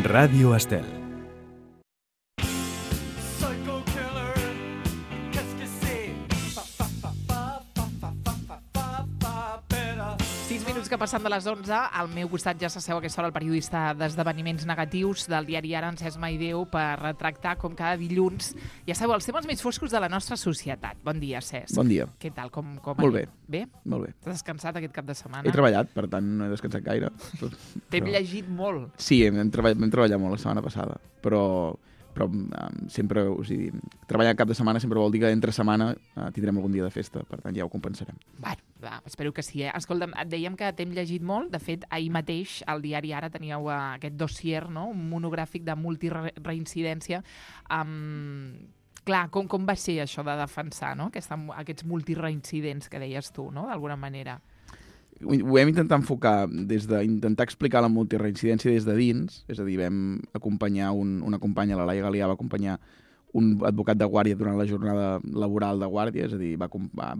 Ràdio Estel. Que passant de les 11, al meu costat ja s'asseu a aquesta hora el periodista d'esdeveniments negatius del diari Ara, Encès Maideu, per retractar, com cada dilluns, ja sabeu, els temes més foscos de la nostra societat. Bon dia, Cesc. Bon dia. Què tal? Com Molt bé. Bé? Molt bé. Has descansat aquest cap de setmana? He treballat, per tant no he descansat gaire. T'hem llegit molt. Sí, vam treballar molt la setmana passada, però sempre, o sigui, treballar cap de setmana sempre vol dir que entre setmana tindrem algun dia de festa, per tant ja ho compensarem. Bueno, espero que sí, Escolta'm, et dèiem que t'hem llegit molt. De fet, ahir mateix al diari Ara teníeu aquest dossier, no? Un monogràfic de multireincidència. Clar, com va ser això de defensar, no? Aquests multireincidents que deies tu, no? D'alguna manera. Ho hem intentat enfocar des d'intentar explicar la multireincidència des de dins, és a dir, vam acompanyar una companya, la Laia Galià, va acompanyar un advocat de guàrdia durant la jornada laboral de guàrdia, és a dir, va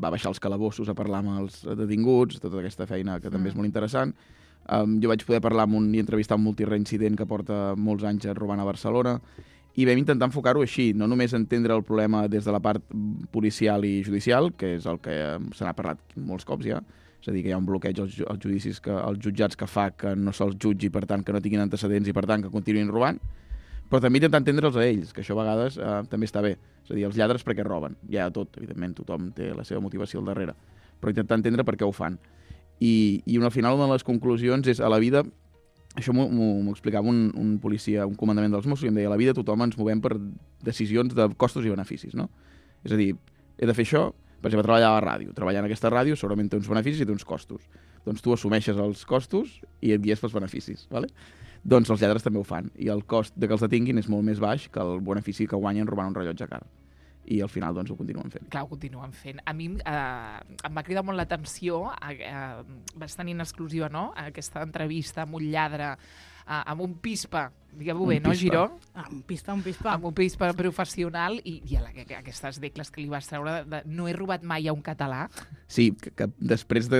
baixar els calabossos a parlar amb els detinguts, tota aquesta feina que també és molt interessant. Jo vaig poder parlar i entrevistar un multireincident que porta molts anys robant a Barcelona, i vam intentar enfocar-ho així, no només entendre el problema des de la part policial i judicial, que és el que se n'ha parlat molts cops ja, és a dir, que hi ha un bloqueig als judicis, als jutjats que fa que no se'ls jutgi, per tant, que no tinguin antecedents i, per tant, que continuïn robant, però també intentar entendre'ls a ells, que això a vegades també està bé. És a dir, els lladres perquè roben. Hi ha tot, evidentment, tothom té la seva motivació al darrere, però intentar entendre per què ho fan. I al final, una de les conclusions és, a la vida, això m'ho explicava un policia, un comandament dels Mossos, i em deia, a la vida tothom ens movem per decisions de costos i beneficis, no? És a dir, he de fer això. Per exemple, treballar a la ràdio. Treballar en aquesta ràdio segurament té uns beneficis i té uns costos. Doncs tu assumeixes els costos i et guies pels beneficis. ¿Vale? Doncs els lladres també ho fan. I el cost de que els detinguin és molt més baix que el benefici que guanyen robant un rellotge car. I al final doncs ho continuen fent. Clar, ho continuen fent. A mi em va cridar molt l'atenció, vas tenir en exclusiva, no?, aquesta entrevista amb un lladre, amb un pispa, diguem-ho bé, no, Giró? Un pispa. Amb un pispa professional i aquestes decles que li vas treure de no he robat mai a un català. Sí, que després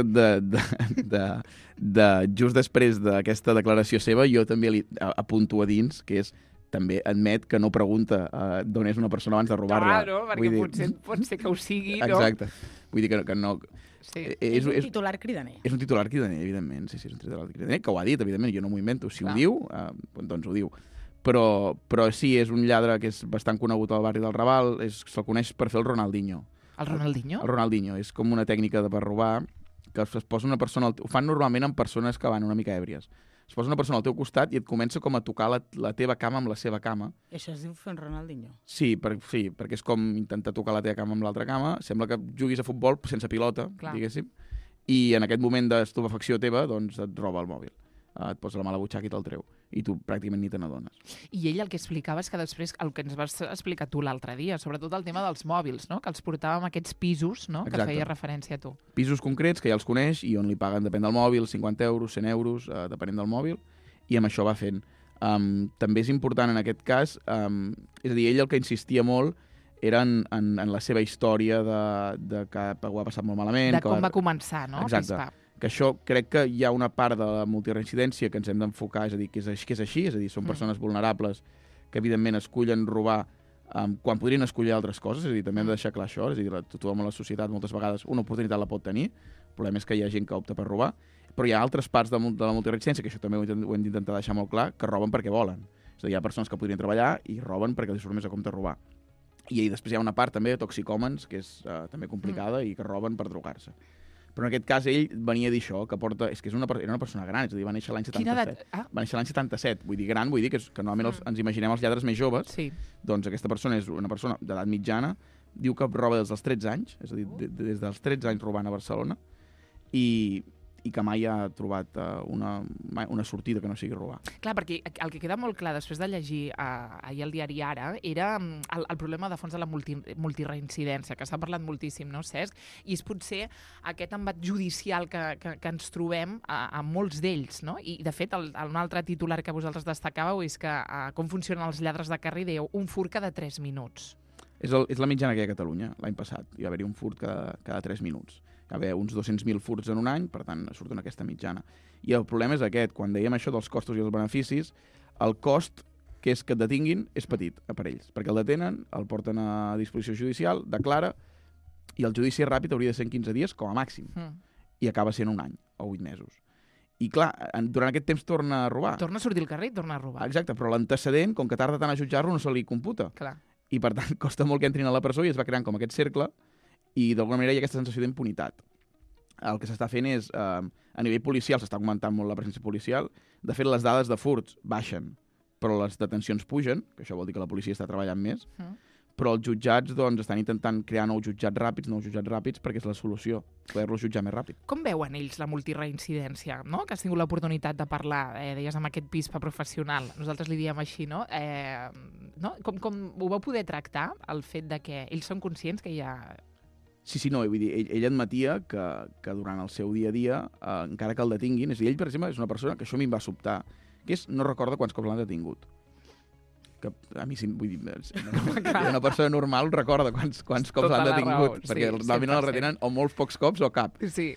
just després d'aquesta declaració seva, jo també li apunto a dins, que és també admet que no pregunta d'on és una persona abans de robar-la. Clar, no? Perquè pot ser que ho sigui, no? Exacte. Vull dir que no... Sí. És un titular cridaner. És un titular cridaner, evidentment. Sí, és un titular cridaner, que ho ha dit, evidentment. Jo no m'ho invento. Si ho diu, doncs ho diu. Però sí, és un lladre que és bastant conegut al barri del Raval. Se'l coneix per fer el Ronaldinho. El Ronaldinho? El Ronaldinho. És com una tècnica per robar, que es posa una persona... Ho fan normalment amb persones que van una mica èbries. Es posa una persona al teu costat i et comença com a tocar la teva cama amb la seva cama. Això es diu fer un Ronaldinho? Sí, perquè és com intentar tocar la teva cama amb l'altra cama. Sembla que juguis a futbol sense pilota, diguéssim. I en aquest moment d'estupefacció teva, doncs et roba el mòbil. Et posa la mà a la butxaca i te'l treu. I tu pràcticament ni te n'adones. I ell el que explicava és que després, el que ens vas explicar tu l'altre dia, sobretot el tema dels mòbils, no?, que els portàvem a aquests pisos, no?, que feia referència a tu. Pisos concrets, que ja els coneix, i on li paguen, depèn del mòbil, 50 euros, 100 euros, depenent del mòbil, i amb això va fent. També és important en aquest cas, és a dir, ell el que insistia molt era en la seva història de que ho ha passat molt malament. De com va començar, no? Exacte. Que això crec que hi ha una part de la multireincidència que ens hem d'enfocar, és a dir, que és així, és a dir, són persones vulnerables que evidentment escullen robar quan podrien escollir altres coses, és a dir, també hem de deixar clar això, és a dir, tothom a la societat moltes vegades una oportunitat la pot tenir, el problema és que hi ha gent que opta per robar, però hi ha altres parts de la multireincidència, que això també ho hem d'intentar deixar molt clar, que roben perquè volen. És a dir, hi ha persones que podrien treballar i roben perquè els surt més a compte robar. I després hi ha una part també de toxicòmens, que és també complicada i que roben per drogar-se. Però en aquest cas ell venia a dir això, que era una persona gran, és a dir, va néixer l'any 77. Quina edat? Va néixer l'any 77, vull dir gran, vull dir que normalment ens imaginem els lladres més joves, doncs aquesta persona és una persona d'edat mitjana, diu que roba des dels 13 anys, és a dir, des dels 13 anys robant a Barcelona, i que mai ha trobat una sortida que no sigui robar. Clar, perquè el que queda molt clar després de llegir ahir al diari Ara era el problema de fons de la multireincidència, que s'ha parlat moltíssim, no, Cesc? I és potser aquest embat judicial que ens trobem a molts d'ells, no? I, de fet, un altre titular que vosaltres destacàveu és que com funcionen els lladres de carrer, dèieu, un furt cada 3 minuts. És la mitjana que hi ha a Catalunya. L'any passat hi va haver-hi un furt cada 3 minuts. Hi va haver uns 200.000 furts en un any, per tant, surt en aquesta mitjana. I el problema és aquest. Quan dèiem això dels costos i els beneficis, el cost que és que et detinguin és petit per ells, perquè el detenen, el porten a disposició judicial, declara, i el judici ràpid hauria de ser en 15 dies com a màxim, i acaba sent un any o 8 mesos. I clar, durant aquest temps torna a robar. Torna a sortir al carrer i torna a robar. Exacte, però l'antecedent, com que tarda tant a jutjar-lo, no se li computa. Clar. I per tant costa molt que entrin a la presó i es va creant com aquest cercle i d'alguna manera hi ha aquesta sensació d'impunitat. El que s'està fent és, a nivell policial, s'està augmentant molt la presència policial, de fet les dades de furts baixen, però les detencions pugen, que això vol dir que la policia està treballant més, però els jutjats estan intentant crear nous jutjats ràpids, perquè és la solució, poder-los jutjar més ràpid. Com veuen ells la multireincidència, no? Que has tingut l'oportunitat de parlar, deies, amb aquest pispa professional, nosaltres li diem així, no? No? Com ho vau poder tractar, el fet de que ells són conscients que hi ha... Sí, no, vull dir, ell admetia que durant el seu dia a dia, encara que el detinguin, és a dir, ell, per exemple, és una persona que això a mi em va sobtar, que és, no recorda quants cops l'han detingut. Que a mi, vull dir, una persona normal recorda quants cops l'han detingut, perquè normalment el retenen o molts pocs cops o cap. Sí.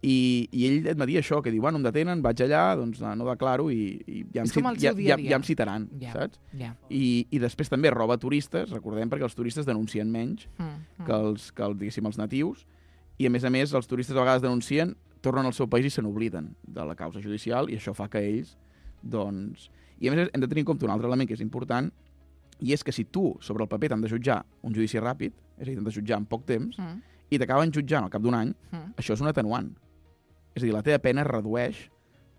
I ell admetia això, que diu, bueno, em detenen, vaig allà, doncs no declaro i ja em citaran, saps? I després també roba turistes, recordem, perquè els turistes denuncien menys que els natius, i a més els turistes a vegades denuncien, tornen al seu país i se n'obliden de la causa judicial, i això fa que ells, doncs... I a més hem de tenir en compte un altre element que és important, i és que si tu, sobre el paper, t'han de jutjar un judici ràpid, és a dir, t'han de jutjar en poc temps, i t'acaben jutjant al cap d'un any, això és un atenuant. És a dir, la teva pena es redueix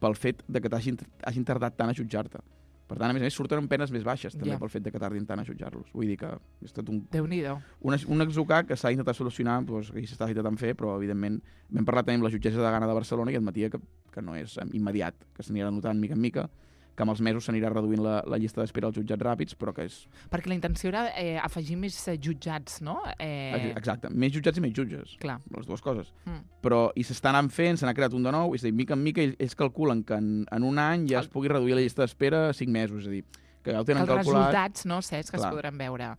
pel fet de que t'hagin tardat tant a jutjar-te. Per tant, a més, surten amb penes més baixes, també, pel fet de que tardin tant a jutjar-los. Vull dir que és tot un exocar que s'ha intentat solucionar, que s'està intentant fer, però, evidentment, vam parlar també amb la jutgessa de Gana de Barcelona i admetia que no és immediat, que s'anirà notant mica en mica, que amb els mesos s'anirà reduint la llista d'espera als jutjats ràpids, però que és... Perquè la intenció era afegir més jutjats, no? Exacte, més jutjats i més jutges. Clar. Les dues coses. Però i s'està anant fent, se n'ha creat un de nou, és a dir, mica en mica ells calculen que en un any ja es pugui reduir la llista d'espera a 5 mesos, és a dir, que ja ho tenen calculat... Els resultats, no, Cesc, que es podran veure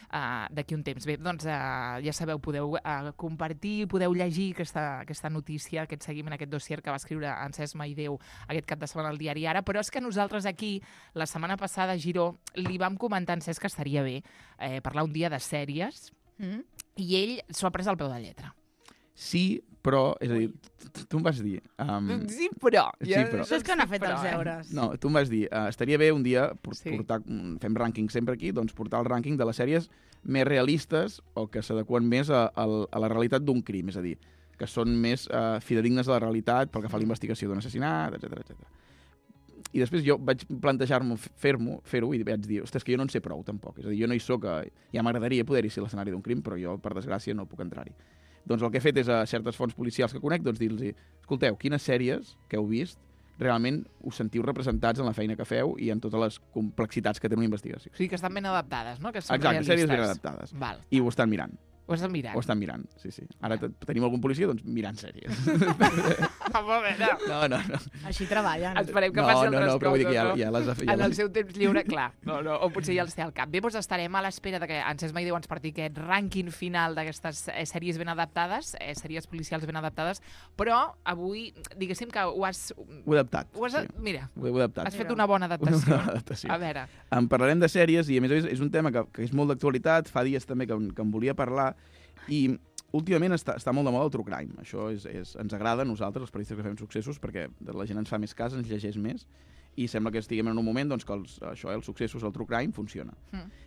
d'aquí un temps. Bé, doncs ja sabeu, podeu compartir, podeu llegir aquesta notícia, aquest seguiment, aquest dossier que va escriure en Cesc Maideu aquest cap de setmana al diari Ara, però és que nosaltres aquí, la setmana passada a Giró, li vam comentar en Cesc que estaria bé parlar un dia de sèries i ell s'ho ha pres al peu de lletra. Sí, però, és a dir, tu em vas dir... Sí, però... Això és que n'ha fet els deures. No, tu em vas dir, estaria bé un dia portar, fem rànquing sempre aquí, doncs portar el rànquing de les sèries més realistes o que s'adeqüen més a la realitat d'un crim, és a dir, que són més fidedignes a la realitat pel que fa a la investigació d'un assassinat, etc. I després jo vaig plantejar-me fer-ho i vaig dir, ostres, que jo no en sé prou tampoc, és a dir, jo no hi soc, ja m'agradaria poder-hi ser l'escenari d'un crim, però jo, per desgràcia, no puc entrar-hi. Doncs el que he fet és a certes fonts policials que conec, doncs dir-los, escolteu, quines sèries que heu vist realment us sentiu representats en la feina que feu i en totes les complexitats que té una investigació. O sigui, que estan ben adaptades, no? Que són exacte, realistes. Sèries ben adaptades. Val. I ho estan mirant. Ho estan mirant? Ho estan mirant, sí. Ara tenim algun policia, doncs mirant sèries. No. Així treballen. Esperem que passi altres coses, però vull dir que ja les ha fet. En el seu temps lliure, clar. No, o potser ja els té al cap. Bé, doncs estarem a l'espera de que en Cesc Maideu ens porti aquest rànquing final d'aquestes sèries ben adaptades, sèries policials ben adaptades, però avui, diguéssim que ho has... Ho he adaptat. Mira, ho he adaptat. has fet una bona adaptació. Una bona adaptació. A veure. En parlarem de sèries i, a més és un tema que és molt d'actualitat, fa dies també que em volia parlar, i últimament està molt de moda el true crime. Això ens agrada a nosaltres, els periodistes que fem successos, perquè la gent ens fa més cas, ens llegeix més, i sembla que estiguem en un moment doncs, que els successos, el true crime, funciona.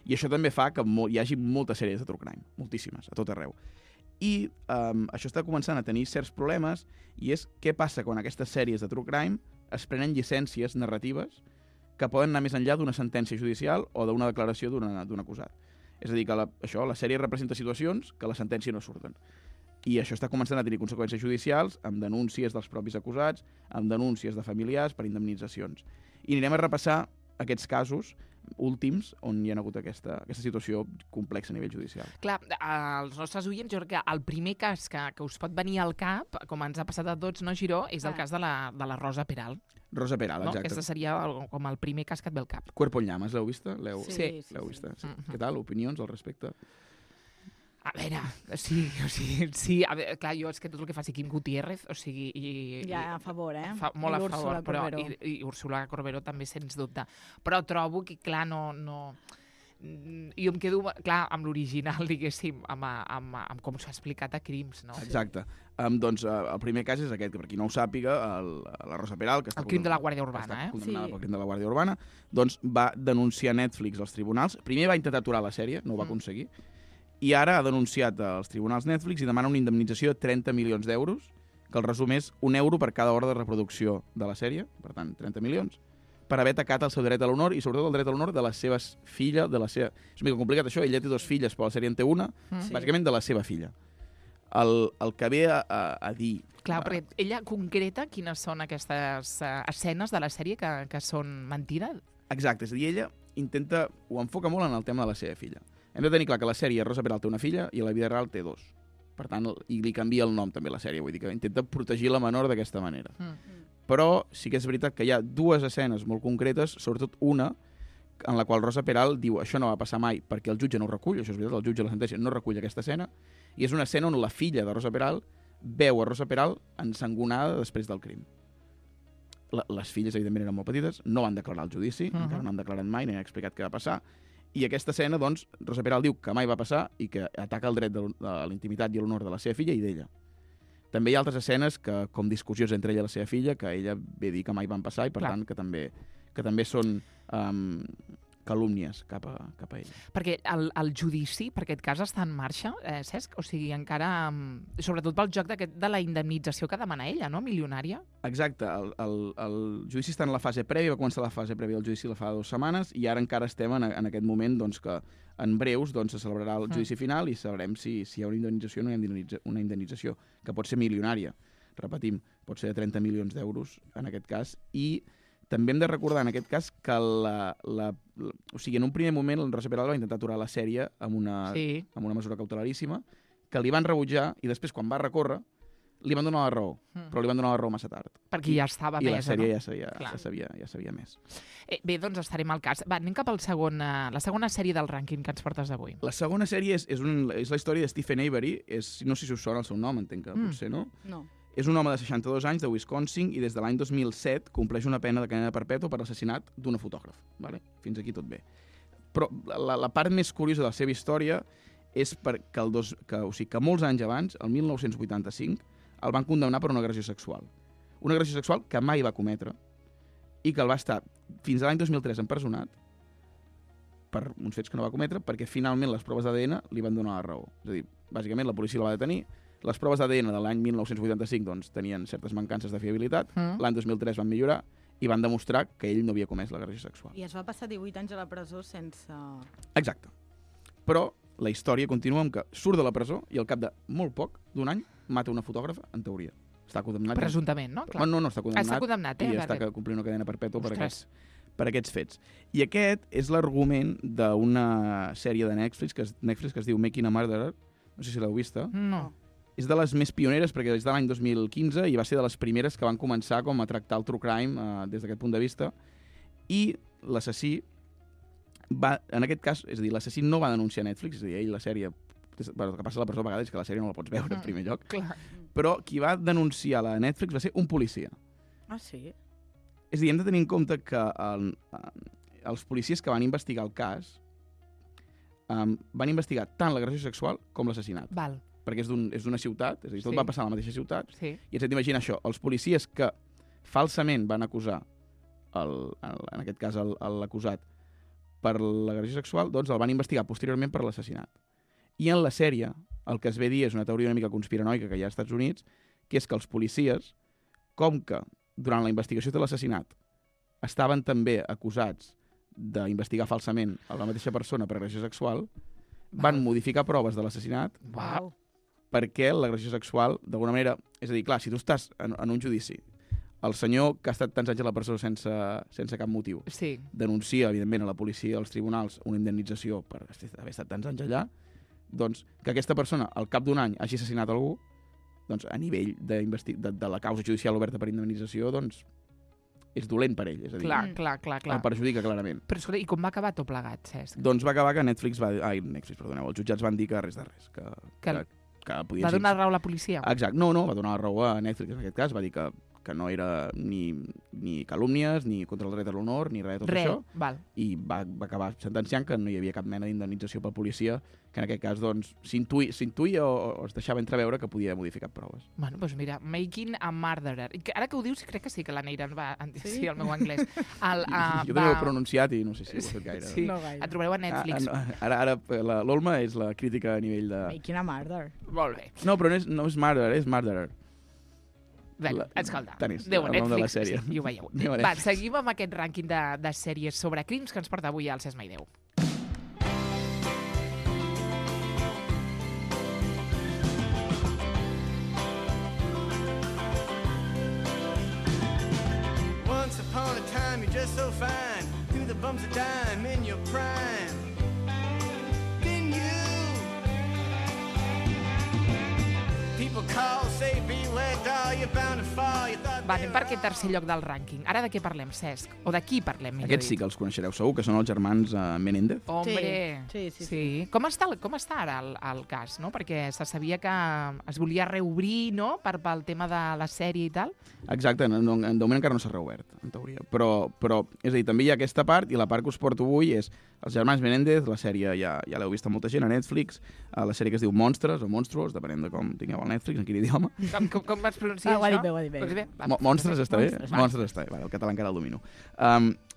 I això també fa que hi hagi moltes sèries de true crime, moltíssimes, a tot arreu. I això està començant a tenir certs problemes, i és què passa quan aquestes sèries de true crime es prenen llicències narratives que poden anar més enllà d'una sentència judicial o d'una declaració d'un acusat. És a dir, que la sèrie representa situacions que la sentència no surten. I això està començant a tenir conseqüències judicials amb denúncies dels propis acusats, amb denúncies de familiars per indemnitzacions. I anirem a repassar aquests casos últims on hi ha hagut aquesta situació complexa a nivell judicial. Clar, als nostres oients, jo crec que el primer cas que us pot venir al cap, com ens ha passat a tots, no, Giró, és el cas de la Rosa Peral. Rosa Peral, exacte. Aquesta seria com el primer cas que et ve al cap. Cuerpo en llamas, l'heu vista? Sí. L'heu vista? Sí. Què tal? Opinions al respecte? A veure, sí, a veure, clar, jo és que tot el que faci Quim Gutiérrez, o sigui... Ja, a favor, Molt a Úrsula favor, però... Corberó. I Úrsula Corberó també, sens dubte. Però trobo que, clar, no... Jo em quedo, clar, amb l'original, diguéssim, amb com s'ha explicat a Crims, no? Exacte. Doncs el primer cas és aquest, que per qui no ho sàpiga, la Rosa Peral, que està El crim de la Guàrdia Urbana, condemnada Sí. pel crim de la Guàrdia Urbana, doncs va denunciar Netflix als tribunals. Primer va intentar aturar la sèrie, no ho va aconseguir, i ara ha denunciat als tribunals Netflix i demana una indemnització de 30 milions d'euros, que el resum és €1 per cada hora de reproducció de la sèrie, per tant, 30 milions, per haver atacat el seu dret a l'honor i sobretot el dret a l'honor de les seves filles, És una mica complicat això, ella té 2 filles, però la sèrie en té una, bàsicament de la seva filla. El que ve a dir... Clar, perquè ella concreta quines són aquestes escenes de la sèrie que són mentida. Exacte, és a dir, ella intenta... Ho enfoca molt en el tema de la seva filla. Hem de tenir clar que la sèrie Rosa Peral té una filla i a la vida real té 2. Per tant, i li canvia el nom també a la sèrie, vull dir que intenta protegir la menor d'aquesta manera. Però sí que és veritat que hi ha 2 escenes molt concretes, sobretot una, en la qual Rosa Peral diu això no va passar mai perquè el jutge no ho recull, això és veritat, el jutge de la sentència no recull aquesta escena, i és una escena on la filla de Rosa Peral veu a Rosa Peral ensangonada després del crim. Les filles, evidentment, eren molt petites, no van declarar el judici, encara no han declarat mai, ni han explicat què va passar, i aquesta escena, doncs, Rosa Peral diu que mai va passar i que ataca el dret de la intimitat i l'honor de la seva filla i d'ella. També hi ha altres escenes com discussions entre ella i la seva filla, que ella ve dir que mai van passar i, per tant, que també són calúmnies cap a ella. Perquè el judici, per aquest cas, està en marxa, Cesc? O sigui, encara... Sobretot pel joc de la indemnització que demana ella, no? Milionària. Exacte. El judici està en la fase prèvia, va començar la fase prèvia del judici la fa 2 setmanes, i ara encara estem en aquest moment doncs, que en breus doncs, se celebrarà el judici final i sabrem si hi ha una indemnització o no hi ha una indemnització, que pot ser milionària. Repetim, pot ser de 30 milions d'euros en aquest cas, i també hem de recordar en aquest cas que o sigui, en un primer moment el Rosa Peral va intentar aturar la sèrie amb una mesura cautelaríssima, que li van rebutjar i després, quan va recórrer, li van donar la raó, però li van donar la raó massa tard. Perquè ja estava I mesa, la sèrie no? ja sabia més. Bé, doncs estarem al cas. Va, anem cap al la segona sèrie del rànquing que ens portes avui. La segona sèrie és la història de Stephen Avery. No sé si us sona el seu nom, entenc que potser no. No. És un home de 62 anys de Wisconsin i des de l'any 2007 compleix una pena de cadena perpètua per l'assassinat d'una fotògraf. Vale? Fins aquí tot bé. Però la part més curiosa de la seva història és que molts anys abans, el 1985, el van condemnar per una agressió sexual. Una agressió sexual que mai va cometre i que el va estar fins a l'any 2003 empresonat per uns fets que no va cometre, perquè finalment les proves d'ADN li van donar la raó. És a dir, bàsicament la policia la va detenir, les proves d'ADN de l'any 1985 doncs, tenien certes mancances de fiabilitat, l'any 2003 van millorar i van demostrar que ell no havia comès l'agressió sexual. I es va passar 18 anys a la presó sense... Exacte. Però la història continua amb que surt de la presó i al cap de molt poc, d'un any, mata una fotògrafa, en teoria. Està condemnat. Presumptament, no? Clar. No, està condemnat. Està condemnat, I està complint una cadena perpètua per aquests fets. I aquest és l'argument d'una sèrie de Netflix que es diu Making a Murderer. No sé si l'heu vista. No. És de les més pioneres perquè és de l'any 2015 i va ser de les primeres que van començar com a tractar el true crime des d'aquest punt de vista. I l'assassí va, en aquest cas, és a dir, l'assassí no va denunciar Netflix, és a dir, ell la sèrie... Bueno, el que passa a la presó a vegades és que la sèrie no la pots veure en primer lloc. Clar. Però qui va denunciar la Netflix va ser un policia. Ah, sí? És a dir, hem de tenir en compte que els policies que van investigar el cas van investigar tant l'agressió sexual com l'assassinat. Val. Perquè és d'una ciutat, és a dir, tot va passar a la mateixa ciutat, Sí. i ens hem d'imaginar això, els policies que falsament van acusar, en aquest cas l'acusat, per l'agressió sexual, doncs el van investigar posteriorment per l'assassinat. I en la sèrie, el que es ve a dir és una teoria una mica conspiranoica que hi ha als Estats Units, que és que els policies, com que durant la investigació de l'assassinat estaven també acusats d'investigar falsament a la mateixa persona per agressió sexual, van modificar proves de l'assassinat perquè l'agressió sexual, d'alguna manera... És a dir, clar, si tu estàs en un judici, el senyor que ha estat tants anys a la presó sense cap motiu denuncia, evidentment, a la policia i als tribunals una indemnització per haver estat tants anys allà, doncs que aquesta persona, al cap d'un any, hagi assassinat algú, doncs a nivell de la causa judicial oberta per indemnització, doncs és dolent per ell, és a dir, Clar. el perjudica clarament. Però escolta, i com va acabar tot plegat, Cesc? Doncs va acabar que Netflix perdoneu, els jutjats van dir que res de res, que podien Va donar raó a la policia? Exacte, no, va donar la raó a Netflix en aquest cas, va dir que no era ni calúmnies, ni contra el dret a l'honor, ni res de tot això. Val. I va acabar sentenciant que no hi havia cap mena d'indemnització per policia, que en aquest cas doncs, s'intuïa o es deixava entreveure que podia modificar proves. Bueno, doncs mira, Making a Murderer. Ara que ho dius, crec que sí que la Neira va... Sí, el meu anglès. Jo també ho he pronunciat i no sé si ho he fet gaire. Sí, No gaire. et trobareu a Netflix. Ara l'Olma és la crítica a nivell de... Making a Murder. Molt bé. No, però no és Murderer, és Murderer. Bé, escolta, tant és, Déu, el nom de la Netflix, sèrie. sí, i ho veieu. Anem a Va, Netflix. seguim amb aquest rànquing de sèries sobre crims que ens porta avui al Cesc Mai Déu. Once upon a time, you're just so fine. Through the bumps of time in your prime. Then you. People call, say, beware, doll, you're bound to fall. You thought Va, anem per aquest tercer lloc del rànquing. Ara de què parlem, Cesc? O de qui parlem, millor Aquests sí que els coneixereu segur, que són els germans Menéndez. Hombre. Sí. Com està ara el cas, no? Perquè se sabia que es volia reobrir, no?, pel tema de la sèrie i tal. Exacte, de moment encara no s'ha reobert, en teoria. Però, és a dir, també hi ha aquesta part, i la part que us porto avui és els germans Menéndez, la sèrie ja l'heu vist a molta gent a Netflix, la sèrie que es diu Monstres o Monstruos, depenent de com tingueu el Netflix, en quin idioma. Com vas pronunciar Ho ha això? dit bé, ho ha dit bé. Ho has dit bé? Va. Monstres està bé? Monstres està bé, vale, el català encara el domino.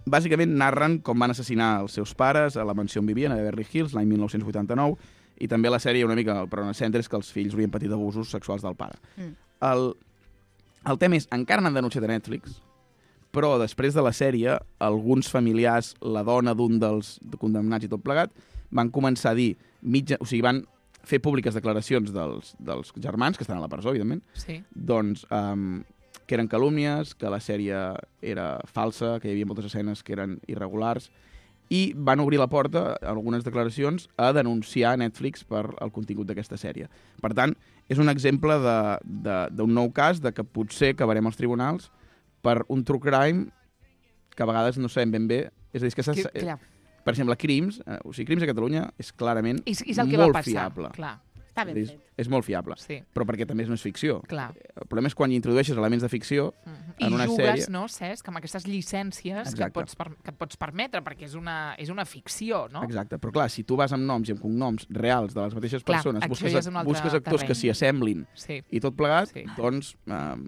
Bàsicament narren com van assassinar els seus pares a la mansió on vivien, a Beverly Hills, l'any 1989, i també la sèrie una mica, però en el centre és que els fills haurien patit abusos sexuals del pare. El tema és, encara n'han denunciat a Netflix, però després de la sèrie, alguns familiars, la dona d'un dels condemnats i tot plegat, van començar a dir, van fer públiques declaracions dels germans, que estan a la presó, evidentment, Sí. doncs que eren calúmnies, que la sèrie era falsa, que hi havia moltes escenes que eren irregulars, i van obrir la porta, en algunes declaracions, a denunciar Netflix per el contingut d'aquesta sèrie. Per tant, és un exemple d'un nou cas de que potser acabarem als tribunals per un true crime que a vegades no sabem ben bé. És a dir, és que Clar. per exemple, Crims a Catalunya és clarament És el que va molt passar. fiable. Clar. Està ben És, fet. és molt fiable, Sí. però perquè també no és ficció. Clar. El problema és quan hi introdueixes elements de ficció I en una jugues, sèrie... no, Cesc, amb aquestes llicències que Exacte. et pots permetre, perquè és una ficció, no? Exacte, però clar, si tu vas amb noms i amb cognoms reals de les mateixes Clar, persones, això ja és un altre busques actors terreny. que s'hi assemblin Sí. i tot plegat, Sí. doncs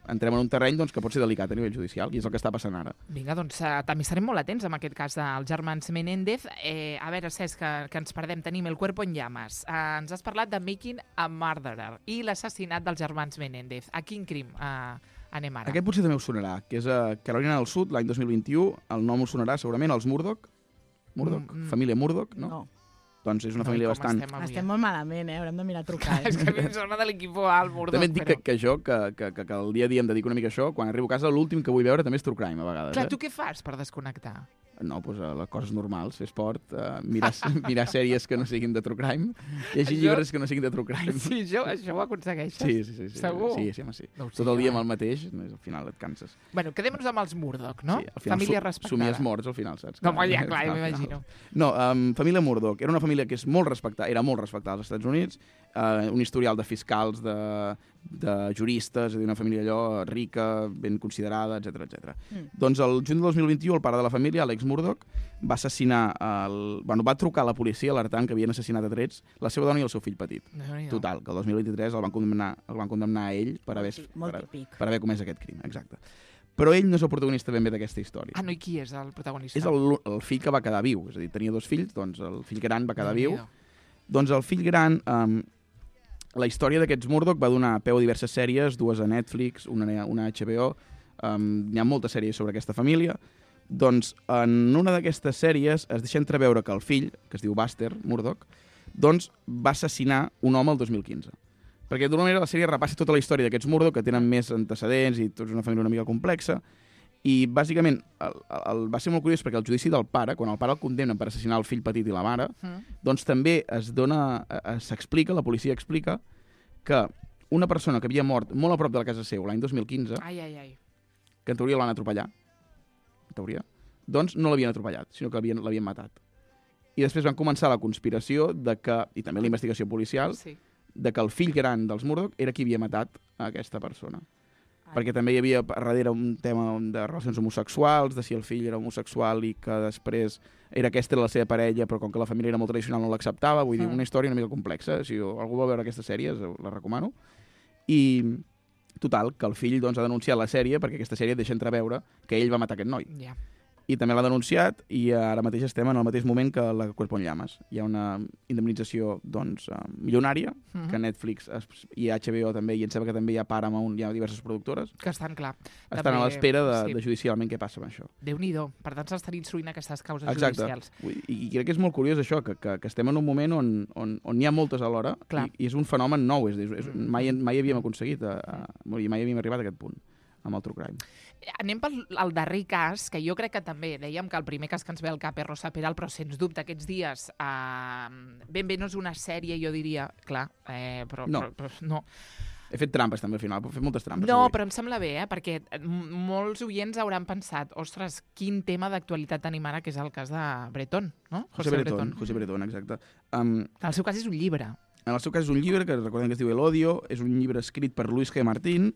entrem en un terreny doncs, que pot ser delicat a nivell judicial, i és el que està passant ara. Vinga, doncs també estarem molt atents amb aquest cas dels germans Menéndez. A veure, Cesc, que ens perdem. Tenim El cuerpo en llamas. Ens has parlat de Making a Murderer i l'assassinat dels germans Menéndez. A quin crim anem ara? Aquest potser també us sonarà, que és a Carolina del Sud, l'any 2021, el nom us sonarà segurament, els Murdoch, família Murdoch, no? Doncs és una família Com bastant... Estem molt malament, Haurem de mirar a trucar. És que a mi em sona de l'equip al Murdoch, També et dic que jo, que el dia a dia em dedico una mica a això, quan arribo a casa l'últim que vull veure també és True Crime, a vegades. Clar, tu què fas per desconnectar? No, doncs les coses normals, fer esport, mirar sèries que no siguin de True Crime, llegir llibres que no siguin de True Crime. Sí, això ho aconsegueixes? Sí. Segur? Sí, home, sí. No ho sé, Tot el dia home. amb el mateix, al final et canses. Bueno, quedem-nos amb els Murdoch, no? Sí, al final Família respectada. somies morts al final, saps? No, home, ja, clar, Al final. m'imagino. No, família Murdoch. Era una família que és molt respectada, era molt respectada als Estats Units, un historial de fiscals, de juristes, és a dir, una família allò rica, ben considerada, etc. Doncs el juny de 2021 el pare de la família, Alex Murdoch, va assassinar va trucar a la policia alertant que havien assassinat a trets la seva dona i el seu fill petit. Déu-n'hi-do. Total, que el 2023 el van condemnar a ell per Molt típic. haver comès aquest crim, exacte. Però ell no és el protagonista ben bé d'aquesta història. Ah, no, i qui és el protagonista? És el fill que va quedar viu, és a dir, tenia 2 fills, doncs el fill gran va quedar viu. Déu-n'hi-do. Doncs el fill gran, la història d'aquests Murdoch va donar peu a diverses sèries, 2 a Netflix, una a HBO, hi ha moltes sèries sobre aquesta família. Doncs en una d'aquestes sèries es deixa entreveure que el fill, que es diu Buster Murdoch, doncs va assassinar un home el 2015. Perquè d'una manera la sèrie repassa tota la història d'aquests Murdoch, que tenen més antecedents i tots una família una mica complexa, i bàsicament va ser molt curiós perquè el judici del pare, quan el pare el condemnen per assassinar el fill petit i la mare, doncs també s'explica, la policia explica, que una persona que havia mort molt a prop de la casa seu l'any 2015, Ai. que en teoria l'han atropellat, teoria, doncs no l'havien atropellat, sinó que l'havien matat. I després van començar la conspiració de que, i també la investigació policial, Sí. de que el fill gran dels Murdoch era qui havia matat a aquesta persona. Perquè també hi havia darrere un tema de relacions homosexuals, de si el fill era homosexual i que després aquesta era la seva parella, però com que la família era molt tradicional no l'acceptava. Vull dir, una història una mica complexa. Si algú vol veure aquestes sèries, la recomano. I total, que el fill doncs, ha denunciat la sèrie perquè aquesta sèrie deixa entreveure que ell va matar aquest noi. Ja. I també l'ha denunciat i ara mateix estem en el mateix moment que la Cuerpo en Llamas. Hi ha una indemnització doncs, milionària que Netflix i HBO també, i em sembla que també hi ha Paramount, hi ha diverses productores. Que estan, clar. Estan també, a l'espera de judicialment què passa amb això. Déu-n'hi-do. Per tant, s'estan instruint aquestes causes Exacte. judicials. I crec que és molt curiós això, que estem en un moment on n'hi ha moltes alhora i és un fenomen nou. Mai havíem aconseguit, mai havíem arribat a aquest punt amb el True Crime. Anem pel darrer cas, que jo crec que també dèiem que el primer cas que ens ve al cap és Rosa Peral, però sens dubte aquests dies ben bé no és una sèrie, jo diria, clar, però no. He fet trampes també al final, he fet moltes trampes. No, però em sembla bé, perquè molts oients hauran pensat, ostres, quin tema d'actualitat tenim ara, que és el cas de Bretón, no? José Bretón, exacte. El seu cas és un llibre. En el seu cas és un llibre que recordem que es diu El Odio, és un llibre escrit per Luis G. Martín,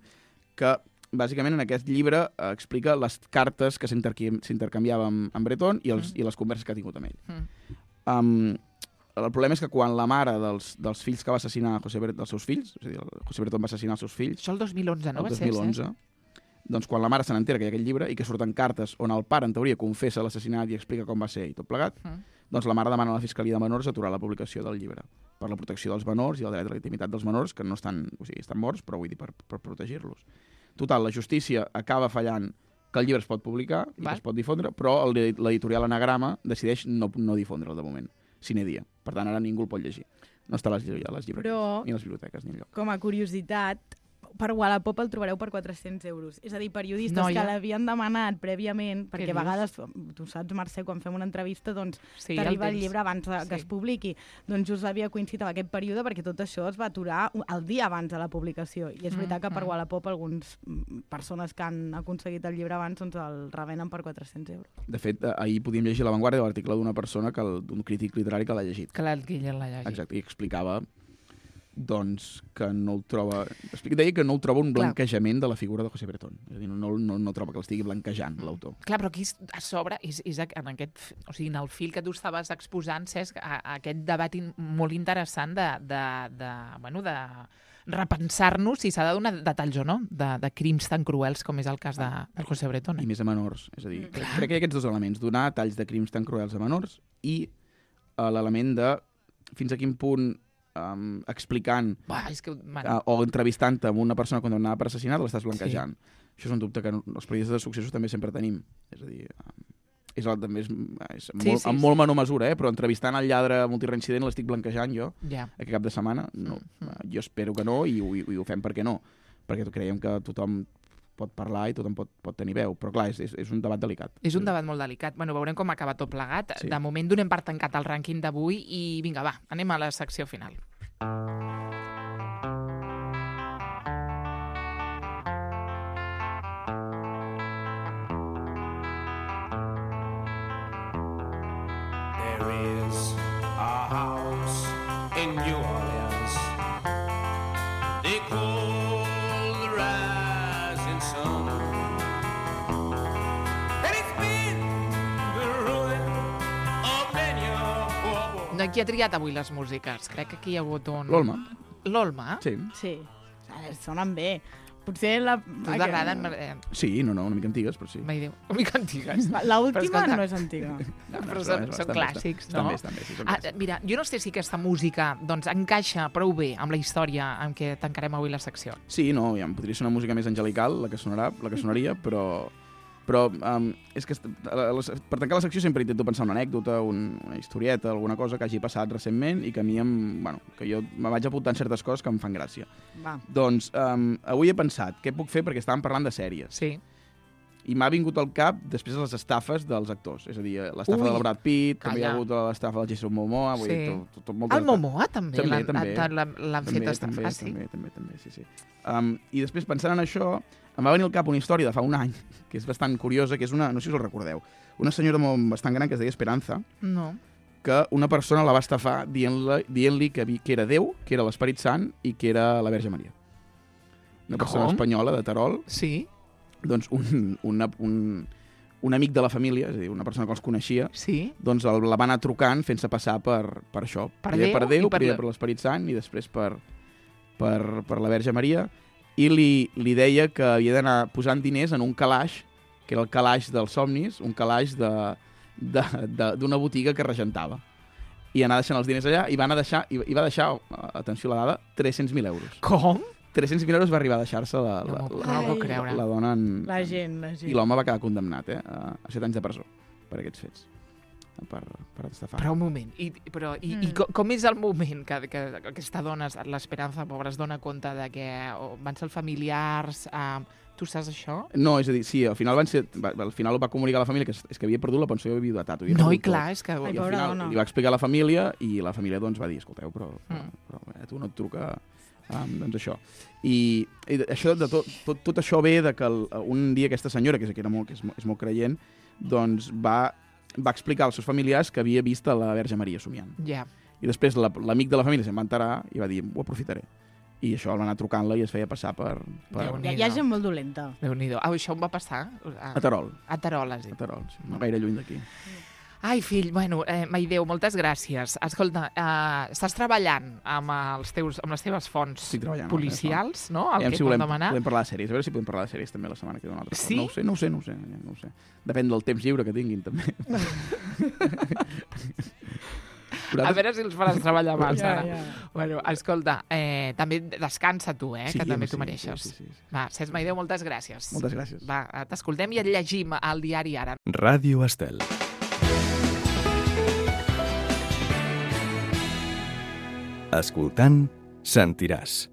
que bàsicament en aquest llibre explica les cartes que s'intercanviava amb Bretón i les converses que ha tingut amb ell. El problema és que quan la mare dels fills que va assassinar dels seus fills, és a dir, José Bretón va assassinar els seus fills... Això el 2011, no? El 2011. Doncs quan la mare se n'entera que hi ha aquest llibre i que surten cartes on el pare, en teoria, confessa l'assassinat i explica com va ser i tot plegat, doncs la mare demana a la Fiscalia de Menors aturar la publicació del llibre per la protecció dels menors i el dret a la intimitat dels menors, que no estan, o sigui, estan morts, però vull dir per protegir-los. Total, la justícia acaba fallant que el llibre es pot publicar i que es pot difondre, però l'editorial Anagrama decideix no difondre'l de moment, sine dia. Per tant, ara ningú el pot llegir. No està a les llibreries, ni a les biblioteques, ni enlloc. Com a curiositat, per Wallapop el trobareu per 400 euros. És a dir, periodistes que l'havien demanat prèviament, perquè a vegades, tu saps, Mercè, quan fem una entrevista, doncs t'arriba el llibre abans que es publiqui. Doncs just havia coincidit amb aquest període perquè tot això es va aturar el dia abans de la publicació. I és veritat que per Wallapop algunes persones que han aconseguit el llibre abans doncs el revenen per 400 euros. De fet, ahir podíem llegir a l'avantguàrdia l'article d'una persona, d'un crític literari que l'ha llegit. Que l'ha llegit. Exacte, i explicava doncs que no el troba... Deia que no el troba un blanquejament de la figura de José Bretón. És a dir, no troba que l'estigui blanquejant, l'autor. Clar, però aquí a sobre és en aquest... O sigui, en el fil que tu estaves exposant, Cesc, aquest debat molt interessant de repensar-nos si s'ha de donar detalls o no de crims tan cruels com és el cas de José Bretón. I més a menors. És a dir, crec que hi ha aquests dos elements. Donar detalls de crims tan cruels a menors i l'element de fins a quin punt explicant o entrevistant-te amb una persona condemnada per assassinat l'estàs blanquejant. Això és un dubte que els periodistes de successos també sempre tenim. És a dir, és molt menor mesura, però entrevistant el lladre multireincident l'estic blanquejant jo aquest cap de setmana. Jo espero que no i ho fem perquè no. Perquè creiem que tothom pot parlar i tothom pot tenir veu. Però clar, és un debat delicat. És un debat molt delicat. Bueno, veurem com acaba tot plegat. De moment donem per tancat el rànquing d'avui i vinga, va, anem a la secció final. There is a house in New Orleans they call the rising sun, and it's been the ruin of many a poor. No, qui ha triat avui les músiques? Crec que aquí hi ha hagut un... L'Olma. L'Olma? Sí. Sonen bé. Potser la... T'agraden? Sí, no, una mica antigues, però sí. Una mica antigues. L'última no és antiga. Però són clàssics, no? Estan bé, sí, són clàssics. Mira, jo no sé si aquesta música doncs, encaixa prou bé amb la història amb què tancarem avui la secció. Sí, no, ja podria ser una música més angelical, la que sonaria, però és que per tancar la secció sempre intento pensar una anècdota, una historieta, alguna cosa que hagi passat recentment i que a mi que jo me vaig apuntant certes coses que em fan gràcia. Va. Doncs avui he pensat què puc fer perquè estàvem parlant de sèries. Sí. I m'ha vingut al cap després de les estafes dels actors. És a dir, l'estafa del Brad Pitt, també hi ha hagut l'estafa del Jason Momoa. Vull dir, el Momoa també l'han fet estafar, sí. També, sí. I després, pensant en això, em va venir al cap una història de fa un any, que és bastant curiosa, que és una, no sé si us recordeu, una senyora bastant gran que es deia Esperanza, que una persona la va estafar dient-li que era Déu, que era l'Esperit Sant i que era la Verge Maria. Una persona espanyola de Terol. Sí. Doncs un amic de la família, és a dir, una persona que els coneixia, doncs la va anar trucant fent-se passar per això. Primer per Déu, primer per l'Esperit Sant i després per la Verge Maria, i li deia que havia d'anar posant diners en un calaix, que era el calaix dels somnis, un calaix d'una botiga que regentava. I anar deixant els diners allà, i va deixar, atenció a la dada, 300.000 euros. Com? 300.000 euros va arribar a deixar-se la dona La gent. I l'home va quedar condemnat a 7 anys de presó per aquests fets. Per estafar. Però un moment, i com és el moment que aquesta dona, l'Esperanza, pobra, es dona compte de que van ser familiars... Tu saps això? No, és a dir, sí, al final ho va comunicar a la família, que és que havia perdut la pensió de viudetat. No, i clar, és que... I al final li va explicar a la família, i la família doncs va dir, escolteu, però tu no et truca... doncs això. I això tot això ve de que un dia aquesta senyora, que és molt creient, doncs va explicar als seus familiars que havia vist a la Verge Maria somiant. Ja. I després l'amic de la família se'n va enterar i va dir, ho aprofitaré. I això el va anar trucant-la i es feia passar per... Hi ha gent molt dolenta. Déu-n'hi-do. Això em va passar? A Terol. A Terol, has dit. A Terol, sí. No gaire lluny d'aquí. Ai, fill, bueno, Maideu, moltes gràcies. Escolta, estàs treballant amb les teves fonts policials, no? El que podem demanar. Podem parlar de sèries. A veure si podem parlar de sèries també la setmana que ve una altra. Sí? No ho sé. Depèn del temps lliure que tinguin, també. A veure si els faràs treballar abans, ara. Bueno, escolta, també descansa tu, que també t'ho mereixes. Sí. Va, Cesc Maideu, moltes gràcies. Moltes gràcies. Va, t'escoltem i et llegim al diari Ara. Ràdio Estel. Escoltant, sentiràs.